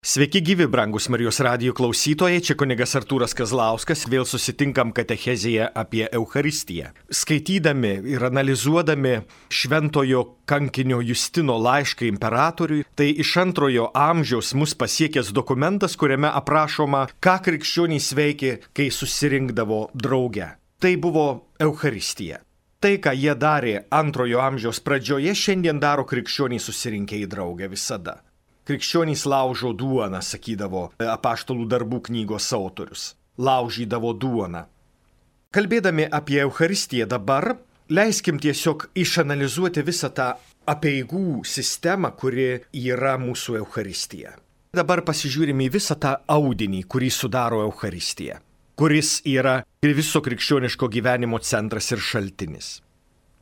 Sveiki gyvi, brangus Marijos radijo klausytojai, čia kunigas Artūras Kazlauskas, vėl susitinkam katechezėje apie Eucharistiją. Skaitydami ir analizuodami šventojo kankinio Justino laišką imperatoriui, tai iš 2 amžiaus mus pasiekęs dokumentas, kuriame aprašoma, ką krikščionys veikė, kai susirinkdavo drauge. Tai buvo Eucharistija. Tai, ką jie darė 2 amžiaus pradžioje, šiandien daro krikščionys susirinkę į draugę visada. Krikščionys laužo duoną, sakydavo Apaštalų darbų knygos autorius. Laužydavo duoną. Kalbėdami apie Eucharistiją dabar, leiskim tiesiog išanalizuoti visą tą apeigų sistemą, kuri yra mūsų Eucharistija. Dabar pasižiūrime į visą tą audinį, kurį sudaro Eucharistija, kuris yra viso krikščioniško gyvenimo centras ir šaltinis.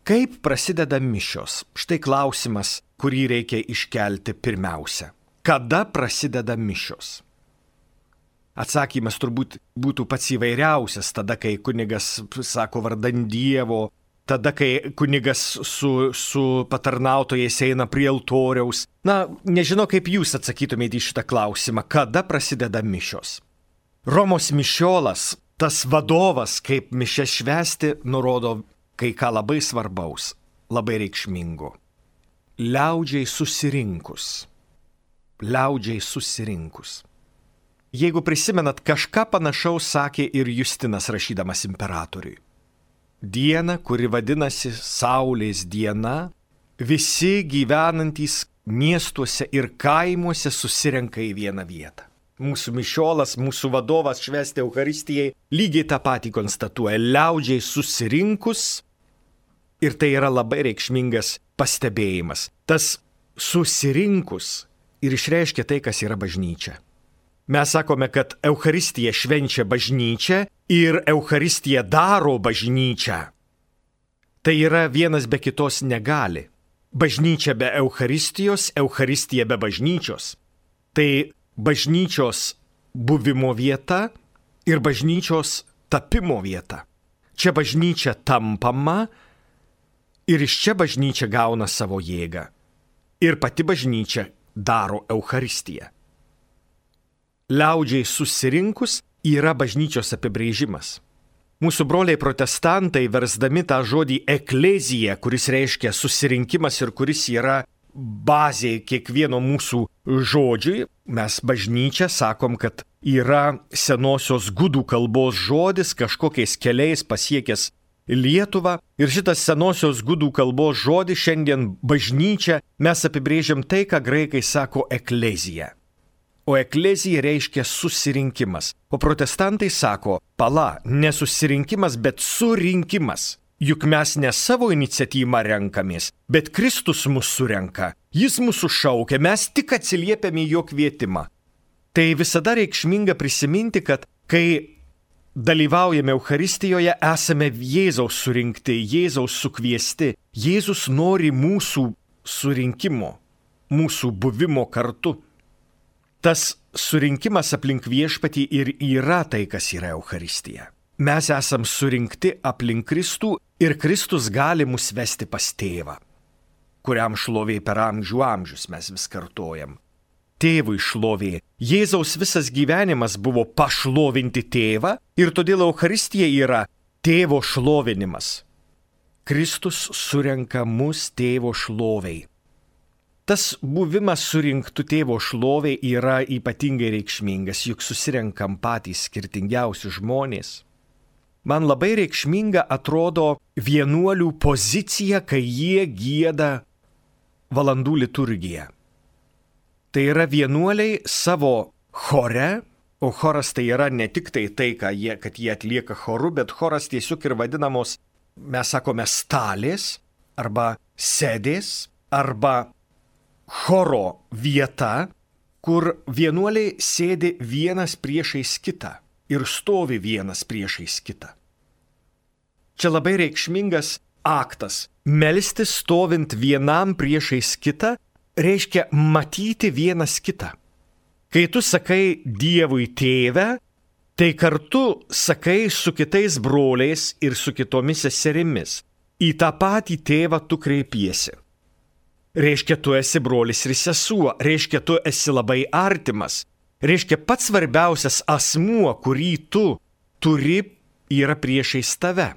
Kaip prasideda mišios? Štai klausimas, kurį reikia iškelti pirmiausia. Kada prasideda mišios? Atsakymas turbūt būtų pats įvairiausias, tada, kai kunigas sako vardan Dievo, tada, kai kunigas su patarnautojais eina prie altoriaus. Nežinau, kaip jūs atsakytumėte į šitą klausimą, kada prasideda mišios. Romos mišiolas, tas vadovas, kaip mišias švęsti, nurodo kai ką labai svarbaus, labai reikšmingo. Liaudžiai susirinkus. Jeigu prisimenat, kažką panašaus sakė ir Justinas rašydamas imperatoriui. Diena, kuri vadinasi Saulės diena, visi gyvenantys miestuose ir kaimuose susirenka į vieną vietą. Mūsų mišiolas, mūsų vadovas švęsti Eucharistijai lygiai tą patį konstatuoja. Liaudžiai susirinkus. Ir tai yra labai reikšmingas pastebėjimas. Tas susirinkus ir išreiškia tai, kas yra bažnyčia. Mes sakome, kad Eucharistija švenčia bažnyčią ir Eucharistija daro bažnyčią. Tai yra vienas be kitos negali. Bažnyčia be Eucharistijos, Eucharistija be bažnyčios. Tai bažnyčios buvimo vieta ir bažnyčios tapimo vieta. Čia bažnyčia tampama ir iš čia bažnyčia gauna savo jėgą. Ir pati bažnyčia daro Eucharistiją. Liaudžiai susirinkus yra bažnyčios apibrėžimas. Mūsų broliai protestantai, versdami tą žodį eklezija, kuris reiškia susirinkimas ir kuris yra bazė kiekvieno mūsų žodžiui, mes bažnyčia sakom, kad yra senosios gudų kalbos žodis, kažkokiais keliais pasiekęs Lietuvą. Ir šitas senosios gudų kalbos žodis šiandien bažnyčia mes apibrėžiam tai, ką graikai sako eklezija. O eklezija reiškia susirinkimas. O protestantai sako, ne susirinkimas, bet surinkimas. Juk mes ne savo iniciatyvą renkamės, bet Kristus mus surenka. Jis mūsų šaukia, mes tik atsiliepiame į jo kvietimą. Tai visada reikšminga prisiminti, kad kai dalyvaujame Eucharistijoje, esame Jėzaus surinkti, Jėzaus sukviesti. Jėzus nori mūsų surinkimo, mūsų buvimo kartu. Tas surinkimas aplink viešpatį ir yra tai, kas yra Eucharistija. Mes esam surinkti aplink Kristų ir Kristus gali mus vesti pas tėvą, kuriam šlovė per amžių amžius, mes vis kartojam. Tėvui šlovė. Jėzaus visas gyvenimas buvo pašlovinti tėvą ir todėl Eucharistija yra tėvo šlovinimas. Kristus surenka mus tėvo šloviai. Tas buvimas surinktų tėvo šloviai yra ypatingai reikšmingas, juk susirenkam patys skirtingiausi žmonės. Man labai reikšminga atrodo vienuolių pozicija, kai jie gieda valandų liturgiją. Tai yra vienuoliai savo chore, o choras tai yra ne tik tai, kad jie atlieka choru, bet choras tiesiog ir vadinamos, mes sakome, stalės arba sėdės arba choro vieta, kur vienuoliai sėdi vienas priešais kitą ir stovi vienas priešais kitą. Čia labai reikšmingas aktas. Melstis stovint vienam priešais kitą reiškia matyti vienas kitą. Kai tu sakai Dievui tėve, tai kartu sakai su kitais broliais ir su kitomis seserimis. Į tą patį tėvą tu kreipiesi. Reiškia, tu esi brolis ir sesuo, reiškia, tu esi labai artimas. Reiškia, pats svarbiausias asmuo, kurį tu turi, yra priešais tave.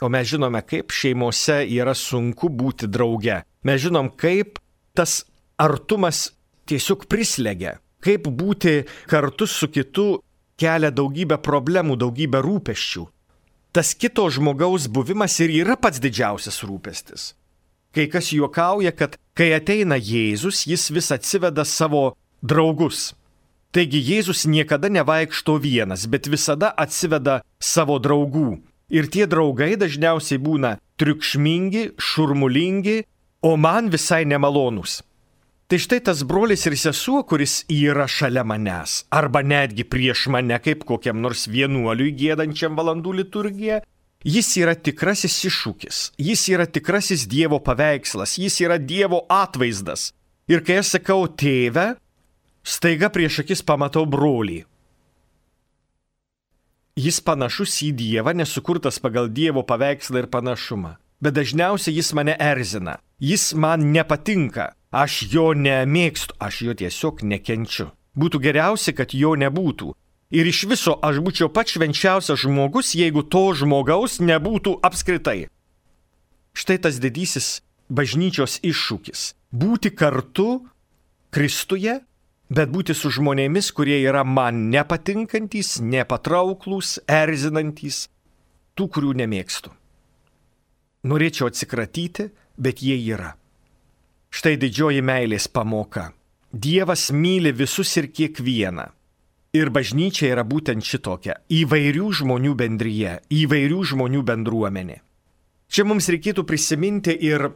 O mes žinome, kaip šeimose yra sunku būti drauge. Mes žinom, kaip tas artumas tiesiog prislegia. Kaip būti kartu su kitu kelia daugybę problemų, daugybę rūpesčių. Tas kito žmogaus buvimas ir yra pats didžiausias rūpestis. Kai kas juokauja, kad kai ateina Jėzus, jis vis atsiveda savo draugus. Taigi Jėzus niekada nevaikšto vienas, bet visada atsiveda savo draugų. Ir tie draugai dažniausiai būna triukšmingi, šurmulingi, o man visai nemalonūs. Tai štai tas brolis ir sesuo, kuris yra šalia manęs, arba netgi prieš mane kaip kokiam nors vienuoliui giedančiam valandų liturgiją, jis yra tikrasis iššūkis, jis yra tikrasis Dievo paveikslas, jis yra Dievo atvaizdas. Ir kai aš sakau tėve, staiga prieš akis pamatau brolį. Jis panašus į Dievą, nesukurtas pagal Dievo paveikslą ir panašumą. Bet dažniausiai jis mane erzina, jis man nepatinka, aš jo nemėgstu, aš jo tiesiog nekenčiu. Būtų geriausia, kad jo nebūtų. Ir iš viso aš būčiau pats švenčiausias žmogus, jeigu to žmogaus nebūtų apskritai. Štai tas didysis bažnyčios iššūkis. Būti kartu Kristuje, bet būti su žmonėmis, kurie yra man nepatinkantys, nepatrauklūs, erzinantys, tų, kurių nemėgstu. Norėčiau atsikratyti, bet jie yra. Štai didžioji meilės pamoka. Dievas myli visus ir kiekvieną. Ir bažnyčia yra būtent šitokia – įvairių žmonių bendryje, įvairių žmonių bendruomenė. Čia mums reikėtų prisiminti ir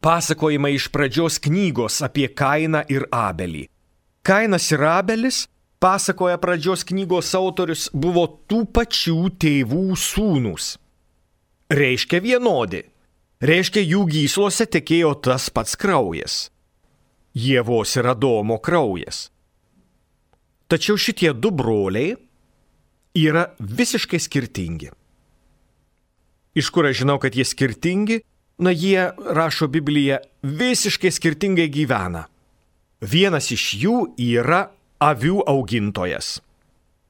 pasakojimą iš pradžios knygos apie Kainą ir Abelį. Kainas ir Abelis, pasakoja pradžios knygos autorius, buvo tų pačių tėvų sūnūs. Reiškia vienodi. Reiškia, jų gyslose tekėjo tas pats kraujas. Ievos ir Adomo kraujas. Tačiau šitie du broliai yra visiškai skirtingi. Iš kur aš žinau, kad jie skirtingi? Na, jie, rašo Biblija, visiškai skirtingai gyvena. Vienas iš jų yra avių augintojas.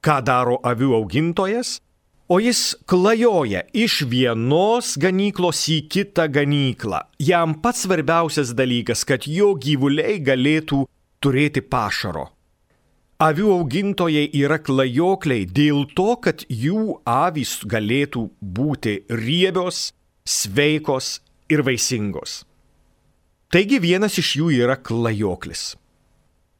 Ką daro avių augintojas? O jis klajoja iš vienos ganyklos į kitą ganyklą. Jam pats svarbiausias dalykas, kad jo gyvuliai galėtų turėti pašaro. Avių augintojai yra klajokliai dėl to, kad jų avys galėtų būti riebios, sveikos ir vaisingos. Taigi vienas iš jų yra klajoklis.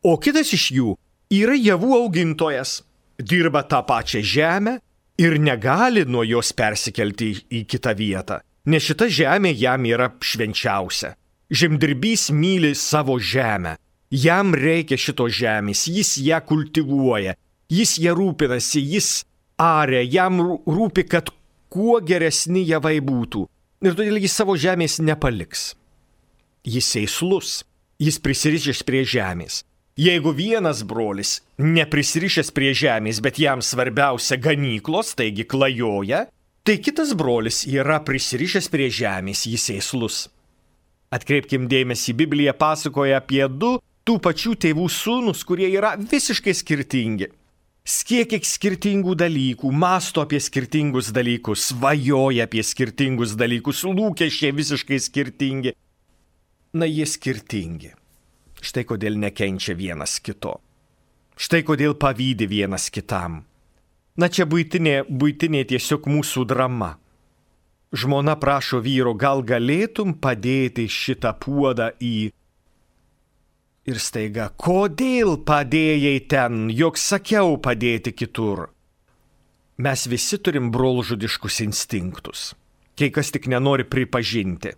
O kitas iš jų yra javų augintojas. Dirba tą pačią žemę ir negali nuo jos persikelti į kitą vietą, nes šita žemė jam yra švenčiausia. Žemdirbys myli savo žemę. Jam reikia šitos žemės, jis ją kultivuoja, jis ją rūpinasi, jis aria, jam rūpi, kad kuo geresni javai būtų. Ir todėl jis savo žemės nepaliks. Jis sėslus, jis prisirišęs prie žemės. Jeigu vienas brolis neprisirišęs prie žemės, bet jam svarbiausia ganyklos, taigi klajoja, tai kitas brolis yra prisirišęs prie žemės, jis sėslus. Atkreipkim dėmesį, Biblija pasakoja apie du tų pačių tėvų sūnus, kurie yra visiškai skirtingi. Kiek skirtingų dalykų, mąsto apie skirtingus dalykus, svajoja apie skirtingus dalykus, lūkesčiai visiškai skirtingi. Na, jie skirtingi. Štai kodėl nekenčia vienas kito. Štai kodėl pavydi vienas kitam. Na, čia buitinė tiesiog mūsų drama. Žmona prašo vyro, gal galėtum padėti šitą puodą į... Ir staiga, kodėl padėjai ten, jog sakiau padėti kitur? Mes visi turim brolžudiškus instinktus. Kai kas tik nenori pripažinti.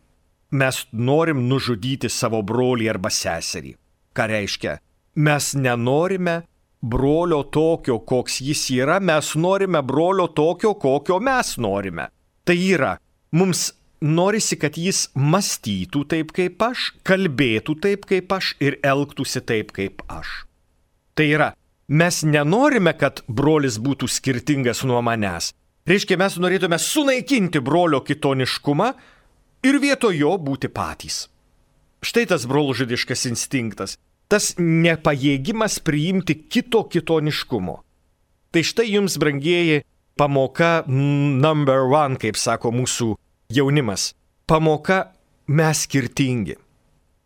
Mes norim nužudyti savo brolį arba seserį. Ką reiškia? Mes nenorime brolio tokio, koks jis yra, mes norime brolio tokio, kokio mes norime. Tai yra, mums norisi, kad jis mąstytų taip kaip aš, kalbėtų taip kaip aš ir elgtųsi taip kaip aš. Tai yra, mes nenorime, kad brolis būtų skirtingas nuo manęs. Reiškia, mes norėtume sunaikinti brolio kitoniškumą ir vietoj jo būti patys. Štai tas brolžudiškas instinktas. tas nepajėgimas priimti kitoniškumo. Tai štai jums, brangieji, pamoka number 1, kaip sako mūsų jaunimas. Pamoka mes skirtingi.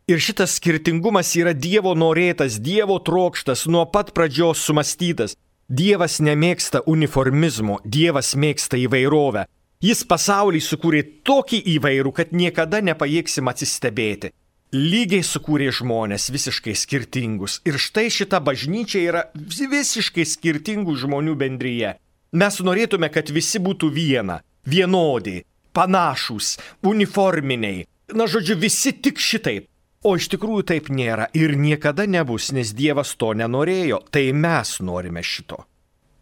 Ir šitas skirtingumas yra Dievo norėtas, Dievo trokštas, nuo pat pradžios sumastytas. Dievas nemėgsta uniformizmo, Dievas mėgsta įvairovę. Jis pasaulį sukūrė tokį įvairų, kad niekada nepajėgsim atsistebėti. Lygiai sukūrė žmonės visiškai skirtingus. Ir štai šita bažnyčia yra visiškai skirtingų žmonių bendryje. Mes norėtume, kad visi būtų vienodi, panašūs, uniforminiai. Na, žodžiu, visi tik šitaip. O iš tikrųjų taip nėra ir niekada nebus, nes Dievas to nenorėjo. Tai mes norime šito.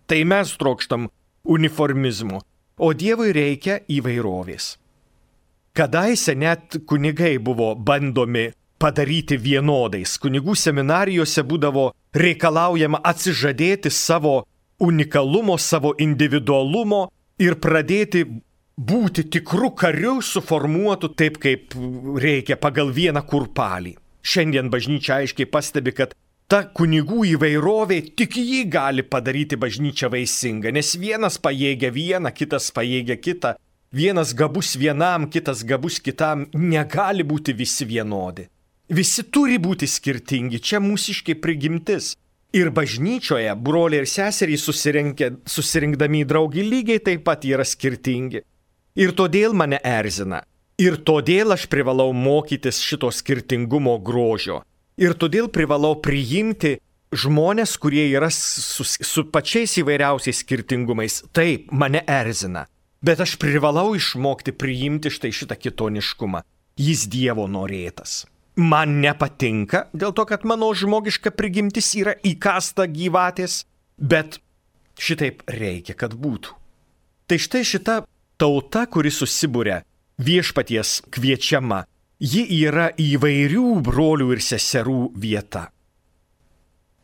Tai mes trokštam uniformizmo. O Dievui reikia įvairovės. Kadaise net kunigai buvo bandomi padaryti vienodais. Kunigų seminarijose būdavo reikalaujama atsižadėti savo unikalumo, savo individualumo ir pradėti būti tikrų karių suformuotų taip, kaip reikia pagal vieną kurpalį. Šiandien bažnyčia aiškiai pastebi, kad ta kunigų įvairovė tik jį gali padaryti bažnyčią vaisingą, nes vienas pajėgia vieną, kitas pajėgia kitą, vienas gabus vienam, kitas gabus kitam, negali būti visi vienodi. Visi turi būti skirtingi, čia mūsiškai prigimtis. Ir bažnyčioje broliai ir seserys susirinkdami į draugį lygiai taip pat yra skirtingi. Ir todėl mane erzina. Ir todėl aš privalau mokytis šito skirtingumo grožio. Ir todėl privalau priimti žmonės, kurie yra su pačiais įvairiausiais skirtingumais. Taip, mane erzina. Bet aš privalau išmokti priimti štai šitą kitoniškumą. Jis Dievo norėtas. Man nepatinka, dėl to, kad mano žmogiška prigimtis yra įkasta gyvatės, bet šitaip reikia, kad būtų. Tai štai šita tauta, kuri susibūrė viešpaties kviečiama, ji yra įvairių brolių ir seserų vieta.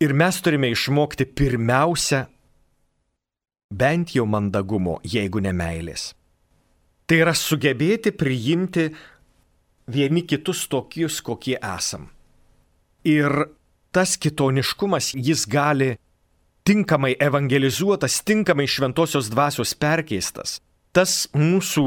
Ir mes turime išmokti pirmiausia bent jau mandagumo, jeigu ne meilės. Tai yra sugebėti priimti vieni kitus tokius, kokie esam. Ir tas kitoniškumas, jis gali tinkamai evangelizuotas, tinkamai šventosios dvasios perkeistas. Tas mūsų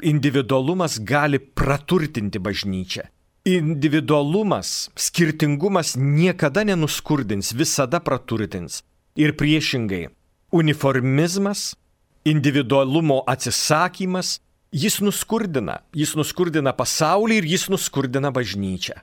individualumas gali praturtinti bažnyčią. Individualumas, skirtingumas niekada nenuskurdins, visada praturtins. Ir priešingai, uniformizmas, individualumo atsisakymas, jis nuskurdina pasaulį ir jis nuskurdina bažnyčią.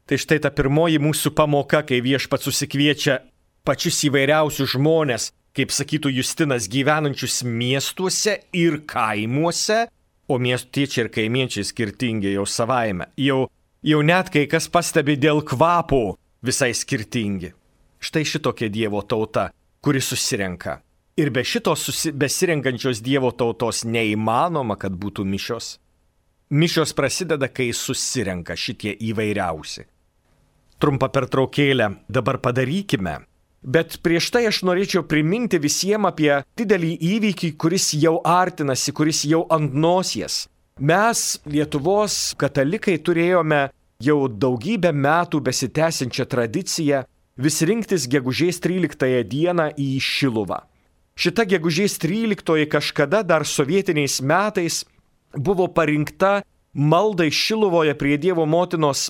Tai štai ta pirmoji mūsų pamoka, kai viešpats susikviečia pačius įvairiausius žmonės, kaip sakytų Justinas, gyvenančius miestuose ir kaimuose, o miestiečiai ir kaimiečiai skirtingi jau savaime. Jau net kai kas pastebi dėl kvapo visai skirtingi. Štai šitokia Dievo tauta, kuri susirenka. Ir be šitos besirenkančios Dievo tautos neįmanoma, kad būtų mišios. Mišios prasideda, kai susirenka šitie įvairiausi. Trumpą pertraukėlę dabar padarykime. Bet prieš tai aš norėčiau priminti visiems apie didelį įvykį, kuris jau artinasi, kuris jau ant nosies. Mes, Lietuvos katalikai, turėjome jau daugybę metų besitęsiančią tradiciją vis rinktis gegužės 13 dieną į Šiluvą. Šita gegužės 13 kažkada dar sovietiniais metais buvo parinkta maldai Šiluvoje prie Dievo motinos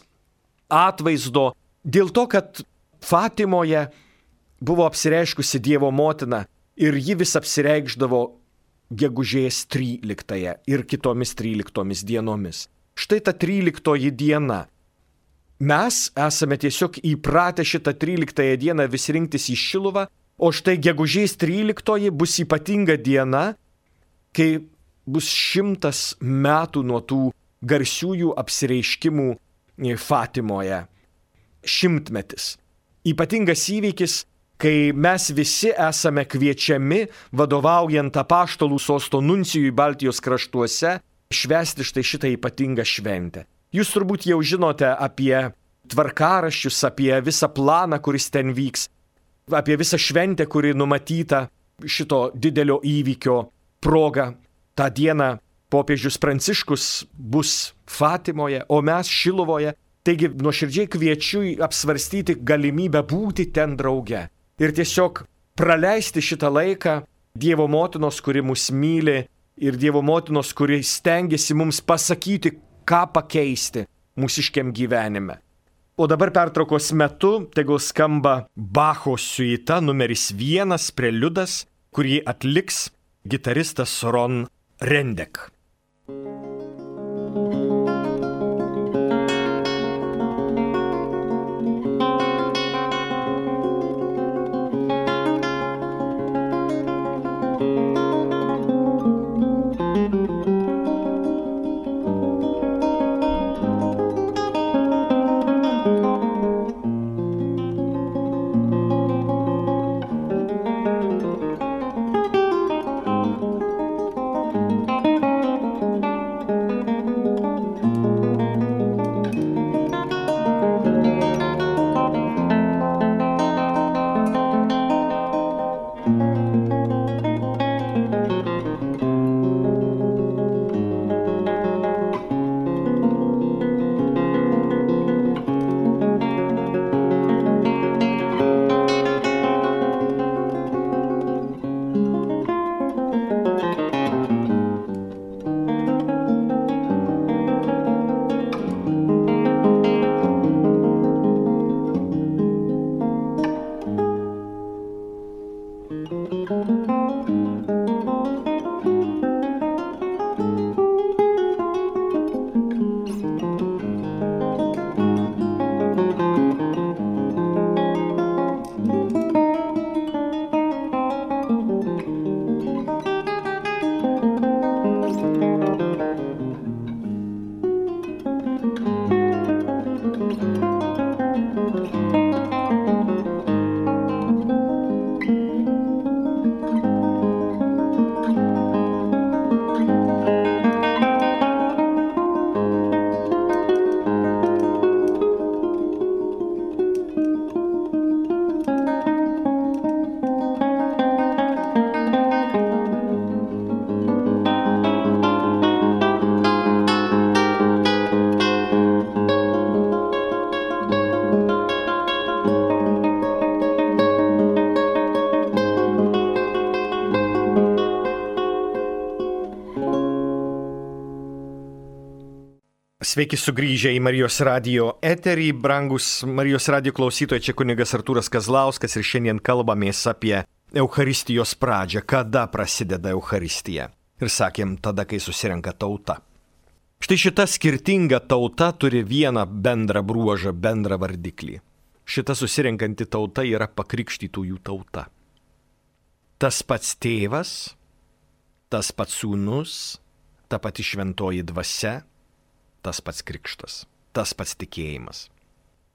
atvaizdo dėl to, kad Fatimoje buvo apsireiškusi Dievo motina ir ji vis apsireikšdavo gegužės 13 ir kitomis 13 dienomis. Štai ta 13 diena. Mes esame tiesiog įpratę šitą 13 dieną vis rinktis į Šiluvą, o štai gegužės 13 bus ypatinga diena, kai bus 100 metų nuo tų garsiųjų apsireiškimų Fatimoje. 100-metis. Ypatingas įvykis, kai mes visi esame kviečiami, vadovaujant apaštalų sosto nuncijui Baltijos kraštuose, švęsti štai šitą ypatingą šventę. Jūs turbūt jau žinote apie tvarkaraščius, apie visą planą, kuris ten vyks, apie visą šventę, kuri numatyta šito didelio įvykio proga. Ta diena popiežius Pranciškus bus Fatimoje, o mes Šiluvoje. Taigi nuoširdžiai kviečiu apsvarstyti galimybę būti ten drauge ir tiesiog praleisti šitą laiką Dievo motinos, kuri mus myli, ir Dievo motinos, kuri stengiasi mums pasakyti, ką pakeisti mūsiškiam gyvenime. O dabar pertraukos metu tegul skamba Bacho siuita numeris 1 preliudas, kurį atliks gitaristas Ron Rendek. Sveiki sugrįžę į Marijos radijo eterį, brangus Marijos radijo klausytojai, čia kunigas Artūras Kazlauskas ir šiandien kalbamės apie Eucharistijos pradžią, kada prasideda Eucharistija. Ir sakėm, tada, kai susirenka tauta. Štai šita skirtinga tauta turi vieną bendrą bruožą, bendrą vardiklį. Šita susirenkanti tauta yra pakrikštytųjų tauta. Tas pats tėvas, tas pats sūnus, ta pati šventoji dvasia, tas pats krikštas, tas pats tikėjimas.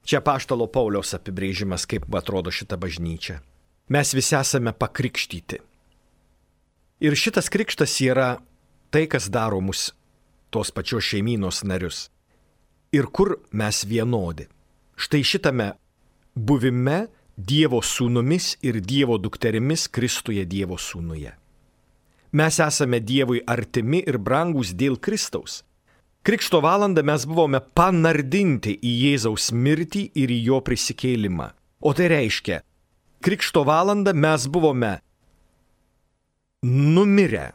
Čia apaštalo Pauliaus apibrėžimas, kaip atrodo šita bažnyčia. Mes visi esame pakrikštyti. Ir šitas krikštas yra tai, kas daro mus tos pačios šeimynos narius. Ir kur mes vienodi. Štai šitame buvime Dievo sūnumis ir Dievo dukterimis Kristuje Dievo sūnuje. Mes esame Dievui artimi ir brangūs dėl Kristaus. Krikšto valandą mes buvome panardinti į Jėzaus mirtį ir į jo prisikėlimą. O tai reiškia, krikšto valandą mes buvome numirę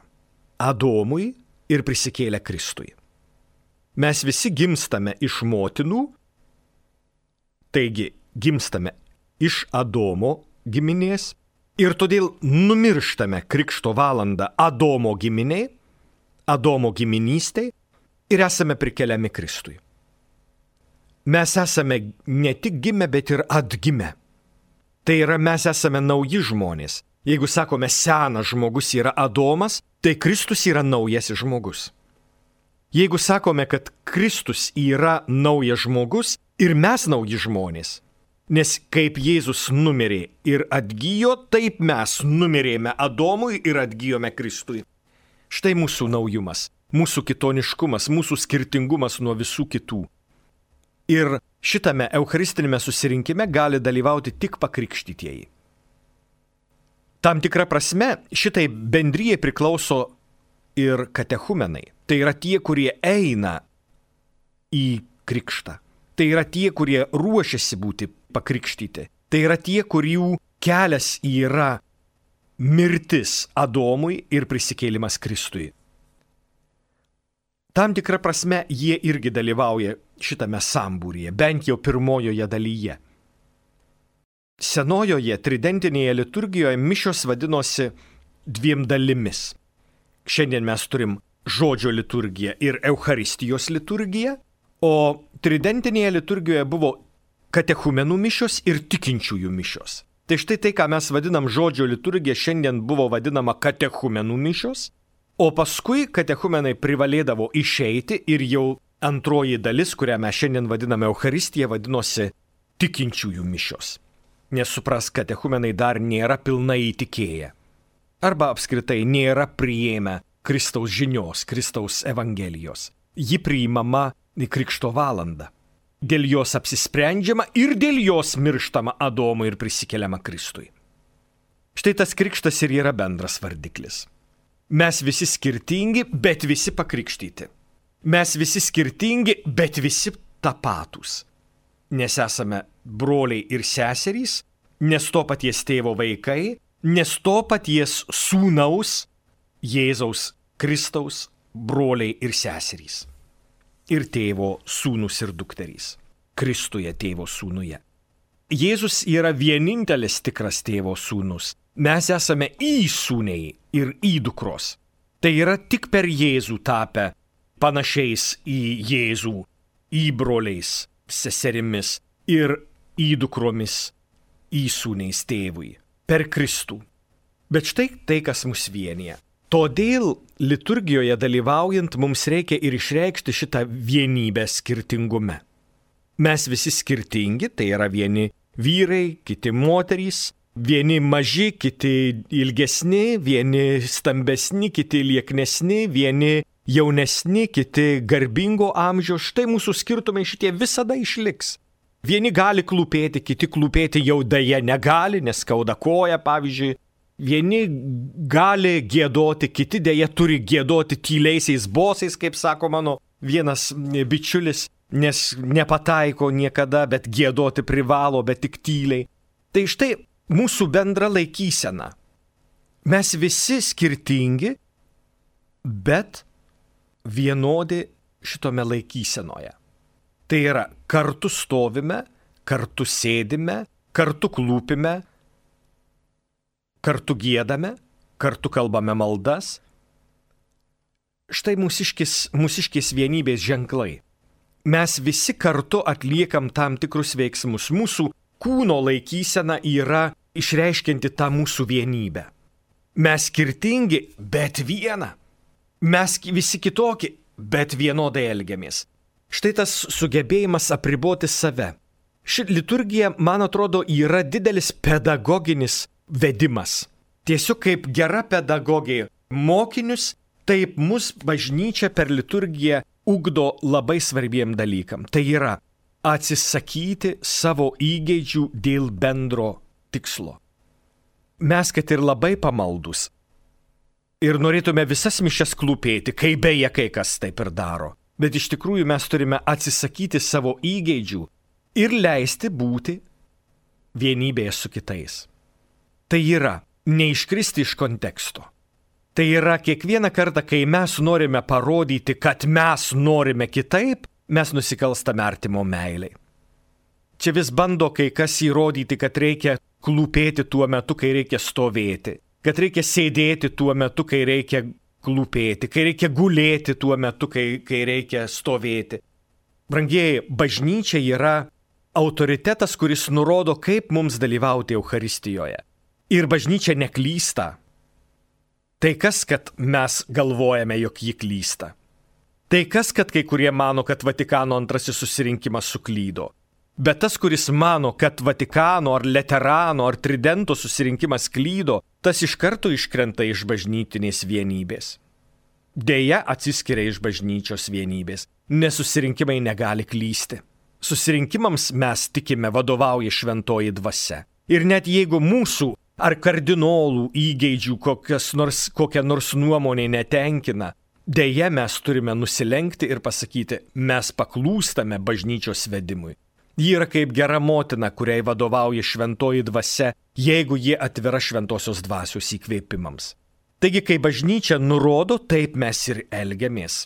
Adomui ir prisikėlę Kristui. Mes visi gimstame iš motinų, taigi gimstame iš Adomo giminės ir todėl numirštame krikšto valandą Adomo giminiai, Adomo giminystei, ir esame prikeliami Kristui. Mes esame ne tik gimę, bet ir atgimę. Tai yra, mes esame nauji žmonės. Jeigu sakome, senas žmogus yra Adomas, tai Kristus yra naujasis žmogus. Jeigu sakome, kad Kristus yra naujas žmogus ir mes nauji žmonės, nes kaip Jėzus numirė ir atgijo, taip mes numirėme Adomui ir atgijome Kristui. Štai mūsų naujumas. Mūsų kitoniškumas, mūsų skirtingumas nuo visų kitų. Ir šitame eucharistinėme susirinkime gali dalyvauti tik pakrikštytieji. Tam tikra prasme šitai bendrijai priklauso ir katechumenai. Tai yra tie, kurie eina į krikštą. Tai yra tie, kurie ruošiasi būti pakrikštyti. Tai yra tie, kurių kelias yra mirtis Adomui ir prisikėlimas Kristui. Tam tikrą prasme jie irgi dalyvauja šitame sambūryje, bent jau pirmojoje dalyje. Senojoje tridentinėje liturgijoje mišios vadinosi dviem dalimis. Šiandien mes turim žodžio liturgiją ir Eucharistijos liturgiją, o tridentinėje liturgijoje buvo katechumenų mišios ir tikinčiųjų mišios. Tai štai tai, ką mes vadinam žodžio liturgija, šiandien buvo vadinama katechumenų mišios, o paskui katechumenai privalėdavo išeiti ir jau antroji dalis, kurią mes šiandien vadiname Eucharistija, vadinosi tikinčiųjų mišios. Nes suprask, katechumenai dar nėra pilnai įtikėję. Arba apskritai nėra priėmę Kristaus žinios, Kristaus evangelijos. Ji priimama į Krikšto valandą. Dėl jos apsisprendžiama ir dėl jos mirštama Adomui ir prisikeliama Kristui. Štai tas krikštas ir yra bendras vardiklis. Mes visi skirtingi, bet visi pakrikštyti. Mes visi skirtingi, bet visi tapatūs. Nes esame broliai ir seserys, nes to paties tėvo vaikai, nes to paties sūnaus, Jėzaus Kristaus broliai ir seserys. Ir tėvo sūnus ir dukterys. Kristuje tėvo sūnuje. Jėzus yra vienintelis tikras tėvo sūnus. Mes esame įsūniai ir įdukros. Tai yra tik per Jėzų tapę panašiais į Jėzų, įbroliais, seserimis ir įdukromis, įsūniais tėvui. Per Kristų. Bet štai tai, kas mus vienyje. Todėl liturgijoje dalyvaujant mums reikia ir išreikšti šitą vienybę skirtingume. Mes visi skirtingi, tai yra vieni vyrai, kiti moterys, vieni maži, kiti ilgesni, vieni stambesni, kiti lieknesni, vieni jaunesni, kiti garbingo amžiaus. Štai mūsų skirtumai šitie visada išliks. Vieni gali klūpėti, kiti klūpėti jau deja negali, nes skauda koja, pavyzdžiui. Vieni gali giedoti, kiti deja turi giedoti tyliaisiais bosais, kaip sako mano vienas bičiulis, nes nepataiko niekada, bet giedoti privalo, bet tik tyliai. Tai štai mūsų bendra laikysena. Mes visi skirtingi, bet vienodi šitome laikysenoje. Tai yra, kartu stovime, kartu sėdime, kartu klūpime, kartu giedame, kartu kalbame maldas. Štai mūsiškės vienybės ženklai. Mes visi kartu atliekam tam tikrus veiksmus. Mūsų kūno laikysena yra išreiškianti tą mūsų vienybę. Mes skirtingi, bet viena. Mes visi kitokie, bet vienodai elgiamės. Štai tas sugebėjimas apriboti save. Ši liturgija, man atrodo, yra didelis pedagoginis vedimas. Tiesiog kaip gera pedagogė mokinius, taip mus bažnyčia per liturgiją ugdo labai svarbiem dalykam. Tai yra atsisakyti savo įgeidžių dėl bendro tikslo. Mes, kad ir labai pamaldus ir norėtume visas mišias klūpėti, kai beje kai kas taip ir daro, bet iš tikrųjų mes turime atsisakyti savo įgeidžių ir leisti būti vienybėje su kitais. Tai yra neiškristi iš konteksto. Tai yra kiekvieną kartą, kai mes norime parodyti, kad mes norime kitaip, mes nusikalstame artimo meilei. Čia vis bando kai kas įrodyti, kad reikia klūpėti tuo metu, kai reikia stovėti, kad reikia sėdėti tuo metu, kai reikia klūpėti, kai reikia gulėti tuo metu, kai reikia stovėti. Brangieji, bažnyčia yra autoritetas, kuris nurodo, kaip mums dalyvauti Eucharistijoje. Ir bažnyčia neklysta. Tai kas, kad mes galvojame, jog ji klysta? Tai kas, kad kai kurie mano, kad Vatikano antrasis susirinkimas suklydo? Bet tas, kuris mano, kad Vatikano ar Leterano ar Tridento susirinkimas klydo, tas iš karto iškrenta iš bažnytinės vienybės. Deja, atsiskiria iš bažnyčios vienybės, nes susirinkimai negali klysti. Susirinkimams mes tikime vadovauja šventoji dvasia. Ir net jeigu mūsų ar kardinolų įgeidžių kokia nors nuomonė netenkina, Deja, mes turime nusilenkti ir pasakyti, mes paklūstame bažnyčios vedimui. Ji yra kaip gera motina, kuriai vadovauja šventoji dvasia, jeigu ji atvira šventosios dvasios įkvėpimams. Taigi, kai bažnyčia nurodo, taip mes ir elgiamės.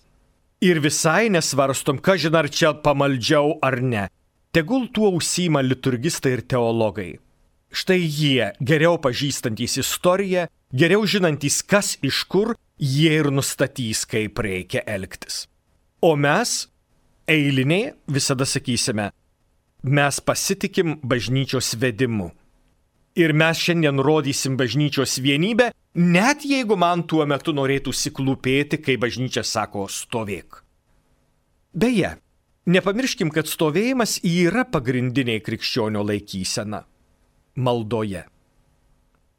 Ir visai nesvarstom, kažin ar čia pamaldžiau ar ne. Tegul tuo užsiima liturgistai ir teologai. Štai jie, geriau pažįstantys istoriją, geriau žinantys, kas iš kur, jie ir nustatys, kaip reikia elgtis. O mes, eiliniai, visada sakysime, mes pasitikim bažnyčios vedimu. Ir mes šiandien rodysim bažnyčios vienybę, net jeigu man tuo metu norėtųsi klūpėti, kai bažnyčia sako stovėk. Beje, nepamirškim, kad stovėjimas yra pagrindinė krikščionio laikysena maldoje.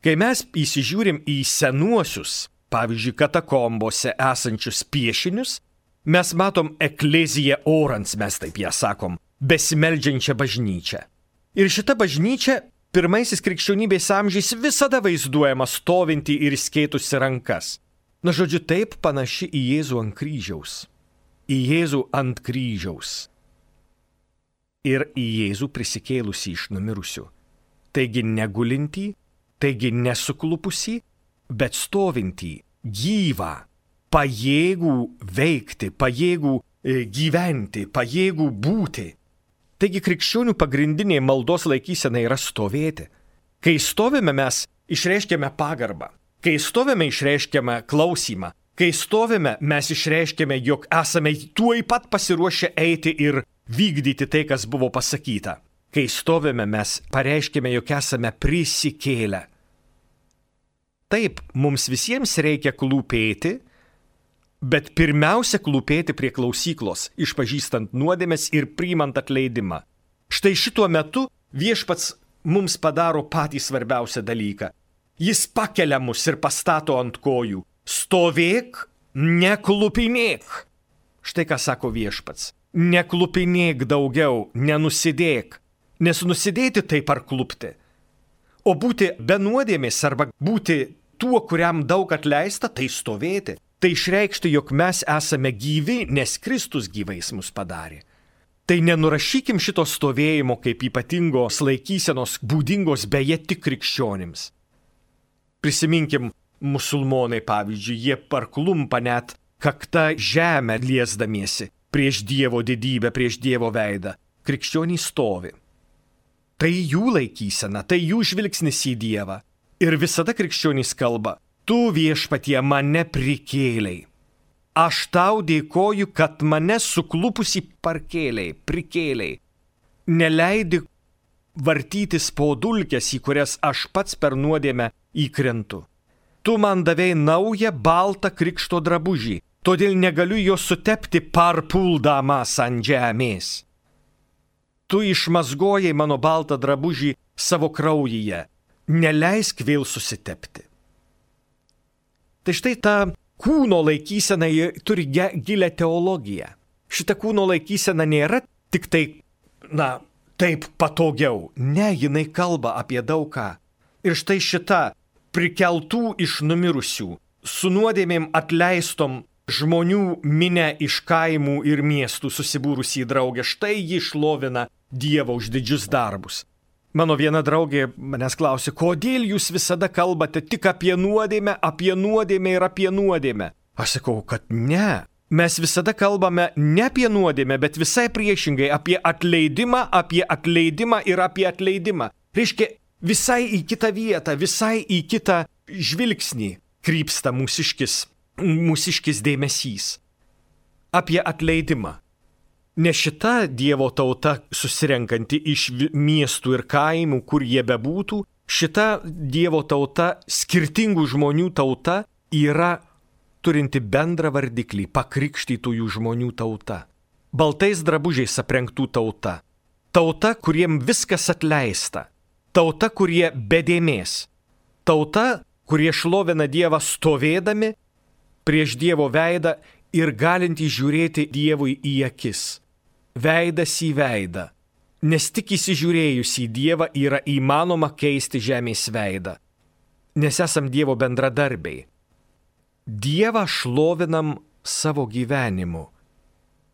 Kai mes įsižiūrim į senuosius, pavyzdžiui, katakombose esančius piešinius, mes matom ekleziją orans, mes taip ją sakom, besimeldžiančią bažnyčią. Ir šita bažnyčia pirmaisiais krikščionybės amžiais visada vaizduojama stovinti ir skėtusi rankas. Na, žodžiu, taip panaši į Jėzų ant kryžiaus. Į Jėzų ant kryžiaus. Ir į Jėzų prisikėlusį iš numirusių. Taigi negulintį, taigi nesuklupusį, bet stovintį, gyvą, pajėgų veikti, pajėgų gyventi, pajėgų būti. Taigi krikščionių pagrindinė maldos laikysena yra stovėti. Kai stovime, mes išreiškiame pagarbą. Kai stovime, išreiškiame klausimą. Kai stovime, mes išreiškiame, jog esame tuoj pat pasiruošę eiti ir vykdyti tai, kas buvo pasakyta. Kai stovime, mes pareiškime, jog esame prisikėlę. Taip, mums visiems reikia klūpėti, bet pirmiausia klūpėti prie klausyklos, išpažįstant nuodėmes ir priimant atleidimą. Štai šituo metu viešpats mums padaro patį svarbiausią dalyką. Jis pakelia mus ir pastato ant kojų. Stovėk, neklupinėk. Štai ką sako viešpats. Neklupinėk daugiau, nenusidėk. Nes nusidėti tai parklupti. O būti be nuodėmės arba būti tuo, kuriam daug atleista, tai stovėti. Tai išreikšti, jog mes esame gyvi, nes Kristus gyvais mus padarė. Tai nenurašykim šito stovėjimo kaip ypatingos laikysenos būdingos beje tik krikščionims. Prisiminkim musulmonai, pavyzdžiui, jie parklumpa net kakta žemę liesdamiesi prieš Dievo didybę, prieš Dievo veidą. Krikščionys stovi. Tai jų laikysena, tai jų žvilgsnis į Dievą. Ir visada krikščionys kalba. Tu viešpatie mane prikėlei. Aš tau dėkoju, kad mane suklupusi prikėlei. Neleidi vartytis po dulkes, į kurias aš pats per nuodėmę įkrentu. Tu man davei naują baltą krikšto drabužį, todėl negaliu jo sutepti parpuldamas ant žemės. Tu išmazgojai mano baltą drabužį savo kraujyje, neleisk vėl susitepti. Tai štai ta kūno laikysena turi gilę teologiją. Šita kūno laikysena nėra tik tai, taip patogiau. Ne, jinai kalba apie daug ką. Ir štai šita prikeltų iš numirusių, su nuodėmėm atleistom žmonių minę iš kaimų ir miestų susibūrusi į draugę, štai ji šlovina Dievą už didžius darbus. Mano viena draugė manęs klausė, kodėl jūs visada kalbate tik apie nuodėmę ir apie nuodėmę. Aš sakau, kad ne. Mes visada kalbame ne apie nuodėmę, bet visai priešingai apie atleidimą ir apie atleidimą. Reiškia, visai į kitą vietą, visai į kitą žvilgsnį krypsta mūsiškis dėmesys. Apie atleidimą. Ne šita Dievo tauta susirenkanti iš miestų ir kaimų, kur jie bebūtų, šita Dievo tauta, skirtingų žmonių tauta, yra turinti bendrą vardiklį, pakrikštytųjų žmonių tauta. Baltais drabužiais aprengtų tauta. Tauta, kuriem viskas atleista. Tauta, kurie be dėmės. Tauta, kurie šlovina Dievą stovėdami prieš Dievo veidą ir galinti žiūrėti Dievui į akis. Veidas į veidą, nes tik įsižiūrėjus į Dievą yra įmanoma keisti žemės veidą, nes esam Dievo bendradarbiai. Dievą šlovinam savo gyvenimu.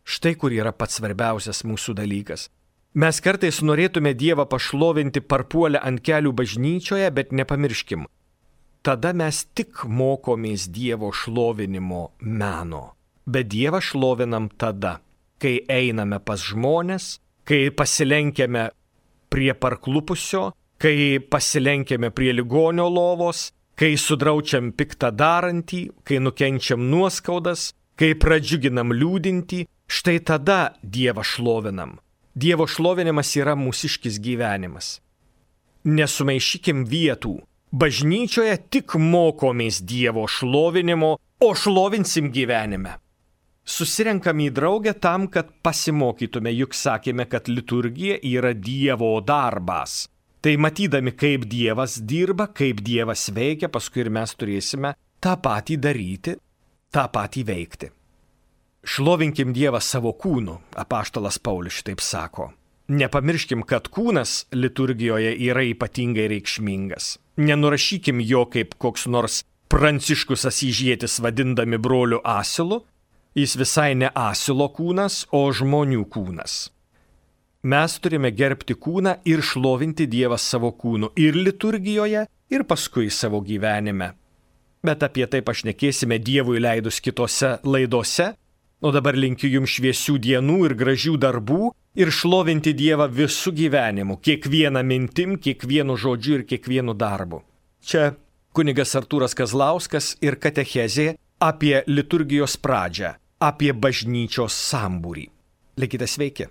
Štai kur yra pats svarbiausias mūsų dalykas. Mes kartais norėtume Dievą pašlovinti parpuolę ant kelių bažnyčioje, bet nepamirškim. Tada mes tik mokomės Dievo šlovinimo meno. Bet Dievą šlovinam tada, kai einame pas žmones, kai pasilenkiame prie parklupusio, kai pasilenkiame prie ligonio lovos, kai sudraučiam piktą darantį, kai nukenčiam nuoskaudas, kai pradžiuginam liūdintį, štai tada Dievą šlovinam. Dievo šlovinimas yra mūsiškis gyvenimas. Nesumaišykim vietų. Bažnyčioje tik mokomės Dievo šlovinimo, o šlovinsim gyvenime. Susirenkam į draugę tam, kad pasimokytume, juk sakėme, kad liturgija yra Dievo darbas. Tai matydami, kaip Dievas dirba, kaip Dievas veikia, paskui ir mes turėsime tą patį daryti, tą patį veikti. Šlovinkim Dievą savo kūnu, apaštalas Paulius šitaip sako. Nepamirškim, kad kūnas liturgijoje yra ypatingai reikšmingas. Nenurašykim jo kaip koks nors Pranciškus Asyžietis vadindami broliu asilu. Jis visai ne asilo kūnas, o žmonių kūnas. Mes turime gerbti kūną ir šlovinti Dievą savo kūnu ir liturgijoje, ir paskui savo gyvenime. Bet apie tai pašnekėsime Dievui leidus kitose laidose. O dabar linkiu jums šviesių dienų ir gražių darbų ir šlovinti Dievą visų gyvenimu, kiekvieną mintim, kiekvienu žodžiu ir kiekvienu darbu. Čia kunigas Artūras Kazlauskas ir katechezė apie liturgijos pradžią, apie bažnyčios sambūrį. Likite sveiki.